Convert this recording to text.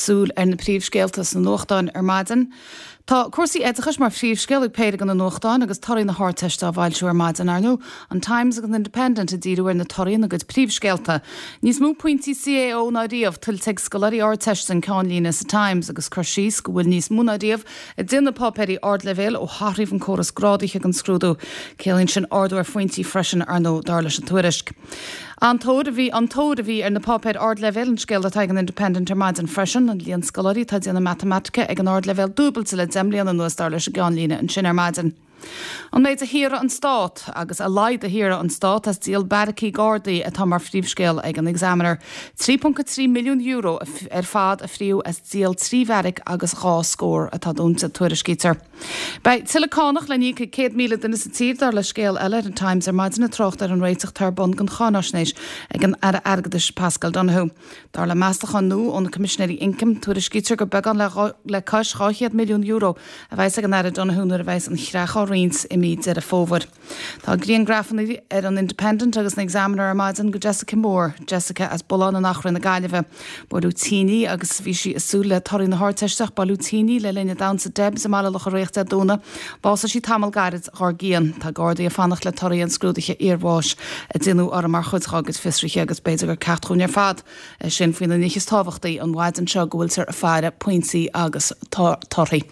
Súil ar na príomhscéalta sna nuachtáin ar maidin. Tá cúrsaí oideachais mar phríomhscéal ag péire de na nuachtáin agus torthaí na hArdteiste á bhfoilsiú ar maidin, ar ndóigh. An Times agus an Independent ag díriú ar na torthaí ina gcuid príomhscéalta. Níos mó pointí CAO ná riamh tuillte ag scoláirí Ardteiste an ceannlíne sa Times agus cur síos go bhfuil níos mó ná riamh ag déanamh páipéirí ardleibhéil ó hathraíodh an córas grádaithe don scrúdú. Ciallaíonn sin ardú ar phointí freisin, ar ndóigh, dar leis an tuairisc. An-tóir a bhí an-tóir a bhí ar na páipéir ardleibhéil, an scéal atá ag an Independent ar maidin freisin. An líon scoláirí atá ag déanamh matamaitice ag an ardleibhéal dúbailte le 10 mbliana anuas, dar leis an gceannlíne ansin ar maidin. An méid a shaothraigh an Stát, agus a laghad a shaothraigh an Stát as díol beairicí Gardaí atá mar phríomhscéal ag an Examiner. €3.3 milliún ar fad a fríodh as díol 3 bheairic agus 2 scór atá dúnta, tuairiscítear. Beidh tuilleadh cánach le n-íoc ag 100,000 duine sa tír, dar le scéal eile ar an Times ar maidin, ag trácht ar an réiteach atá ar bun don cháináisnéis ag an Aire Airgeadais Paschal Donohoe. Dar le meastachán nua ó na Coimisinéirí Ioncaim, tuairiscítear gur beagán le cois €200 milliún a bheas ag an Aire Donohoe nuair a bheas an chreach á roinnt i mí Deireadh Fómhair. Tá griangrafanna ar an Independent agus an Examiner ar maidin de Jessica Moore, Jessica as Bullán in Achréidh na Gaillimhe. Buaileadh tinn í agus bhí sí ag súil le torthaí na hArdteiste ach buaileadh tinn í le linn a damhsa Debs i mBaile Locha Riach Dé Domhnaigh. Bhásaigh sí tamall gairid dhár gcionn. Tá Gardaí ag fanacht le torthaí an scrúdaithe iarbháis a déanadh uirthi mar chuid dhá gcuid fiosruithe agus b'fhéidir gur ceacht dhúinn ar fad é sin faoi na nithe is tábhachtaí an mhaidin seo go bhfuiltear ag faire pointí agus torthaí.